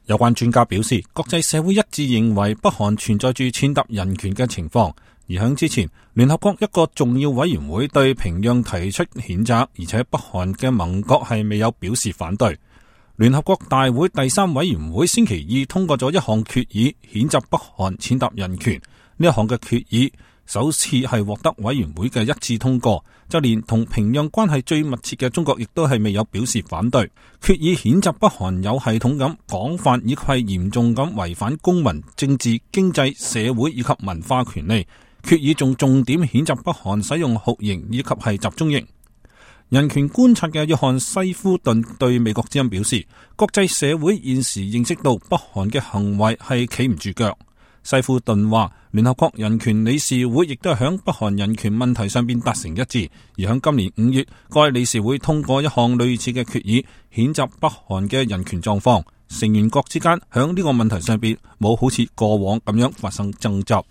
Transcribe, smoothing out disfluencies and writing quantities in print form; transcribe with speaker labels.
Speaker 1: 有關專家表示，國際社會一致認為北韓存在住踐踏人權嘅情況，而響之前，聯合國一個重要委員會對平壤提出譴責，而且北韓嘅盟國係未有表示反對。聯合國大會第3委員會星期二通過咗一項決議，譴責北韓踐踏人權。呢一項嘅決議首次係獲得委員會嘅一致通過，就連同平壤關係最密切嘅中國亦都係未有表示反對。決議譴責北韓有系統咁、廣泛以及係嚴重咁違反公民、政治、經濟、社會以及文化權利。決議仲重點譴責北韓使用酷刑以及係集中營。人權觀察嘅約翰西夫頓對美國之音表示，國際社會現時認識到北韓嘅行為係企唔住腳。西夫頓話，聯合國人權理事會亦都係響北韓人權問題上邊達成一致，而響今年5月，該理事會通過一項類似嘅決議，譴責北韓嘅人權狀況。成員國之間響呢個問題上邊冇好似過往咁樣發生爭執。